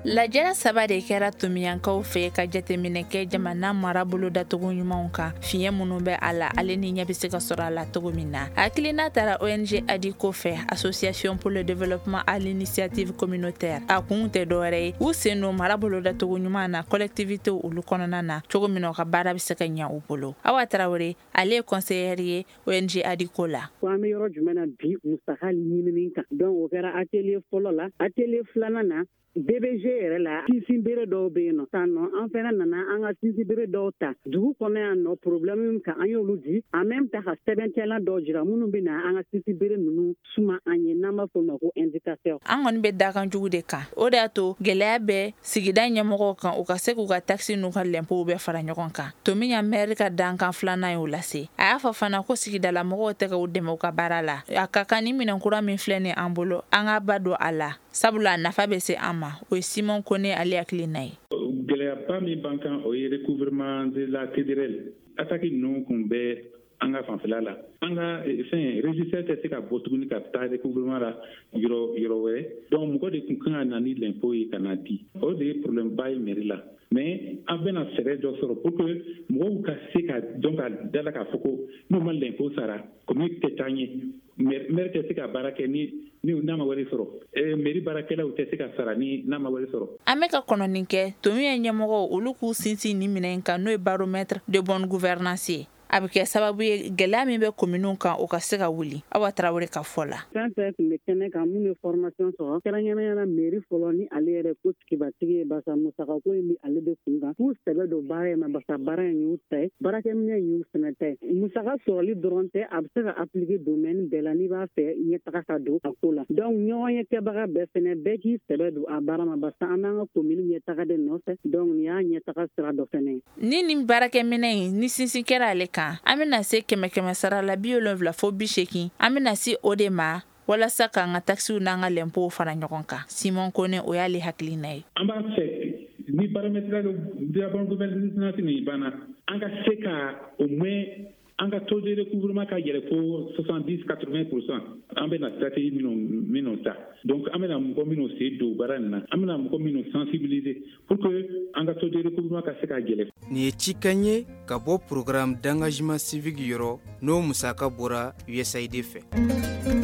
Lajɛrɛ saba de kɛra Tomiyankaw fɛ ka jateminɛ kɛ jamana mara bolo datogo ɲumanw kan, fiɲɛ minnu bɛ a la, ale ni ɲɛ bɛ se ka sɔrɔ a la cogo min na. Hakilina taara ONG ADICO fɛ, Association pour le développement à l'initiative communautaire. A kun tɛ dɔwɛrɛ ye, u sen don mara bolo datogo ɲuman na collectivité olu kɔnɔna na, cogo min na u ka baara bɛ se ka ɲɛ u bolo. Awa Tarawele, ale ye conseillère ye ONG ADICO la. Ko an bɛ yɔrɔ jumɛn na bi musaka ɲinini kan? Donc o kɛra atelier fɔlɔ la. Atelier filanan na, DBG yɛrɛ la, sinsinbere dɔw bɛ yen nɔ san nɔ, an fana nana an ka sinsinbere dɔw ta dugu kɔnɔ yan nɔ, problème kan an y'olu di, en même temps ka sɛbɛntɛla dɔw jira minnu bɛ na an ka sinsinbere ninnu suma an ye, n'an b'a fɔ o ma ko indicateur. An kɔni bɛ dakan jugu de kan, o de y'a to gɛlɛya bɛ sigida ɲɛmɔgɔw kan, u ka se k'u ka taxe n'u ka lɛnpow bɛɛ fara ɲɔgɔn kan. Tomiɲan mɛri ka dankan filanan y'o lase. A y'a fɔ fana ko sigidala mɔgɔw tɛ ka u dɛmɛ u ka baara la. A ka kan ni minɛn kura min filɛ nin an bolo, an ka ba don a la, sabula a nafa bɛ se an ma. O ye Simon Kone ale hakilina ye. Gɛlɛyaba min b'an kan, o ye recouvrement de la TDRL. Attaque ninnu kun bɛ an ka fanfɛla la, an ka fɛn régisseur tɛ se ka bɔ tuguni ka taa recouvrement la yɔrɔ yɔrɔ wɛrɛ. Donc mɔgɔ de tun kan ka na ni l'impôt ye ka na di, o de ye problème ba ye mairie la. Mais an bɛna fɛɛrɛ dɔ sɔrɔ pour que mɔgɔw ka se ka dɔn ka da la k'a fɔ ko n'u ma l'impôt sara, commune tɛ taa ɲɛ, maire tɛ se ka baara kɛ ni n'a ma wari sɔrɔ, mairie baarakɛlaw tɛ se ka sara ni n'a ma wari sɔrɔ. An bɛ ka kɔnɔni kɛ Tomiɲan ɲɛmɔgɔw olu k'u sinsin ni minɛn kan, n'o ye baromètre de bonne gouvernance ye. A bɛ kɛ sababu ye gɛlɛya min bɛ kominiw kan, o ka se ka wuli. Awa Tarawele ka fɔ la. Fɛn fɛn tun bɛ kɛnɛ kan, minnu ye formation sɔrɔ, kɛrɛnkɛrɛnnenya la mairie fɔlɔ ni ale yɛrɛ ko tigibatigi ye, barisa musakako in bɛ ale de kun kan, k'u sɛbɛ don baara in ma, barisa baara in y'u ta ye, baarakɛminɛn y'u fana ta ye. Musaka sɔrɔli dɔrɔn tɛ, a bɛ se ka appliquer domaine bɛɛ la n'i b'a fɛ ɲɛtaga ka don a ko la. Donc ɲɔgɔn ye kɛbaga bɛɛ fɛnɛ, bɛɛ k'i sɛbɛ don a baara ma, barisa an b'an ka commune ɲɛtaga de nɔfɛ. Donc nin y'a ɲɛtaga sira dɔ fɛnɛ ye. Ni nin baarakɛminɛn in ni sinsin kɛra ale kan, an bɛna se kɛmɛ kɛmɛ sara la 70 fo 80, an bɛna se o de ma walasa k'an ka taxes n'an ka lɛnpow fara ɲɔgɔn kan. Simon Kone, o y'ale hakilina ye. An b'a fɛ ni baromètre de la bonne gouvernance nin banna, an ka se ka au moins an ka taux de recouvrement ka yɛlɛ fo 70 80%. An bɛna stratégie minnu ta, donc an bɛna mɔgɔ minnu sen don baara nin na, an bɛna mɔgɔ minnu sensibiliser pour que an ka taux de recouvrement ka se ka yɛlɛ. Nin ye cikan ye ka bɔ programme d'engagement civique yɔrɔ, n'o musaka bɔra USAID fɛ.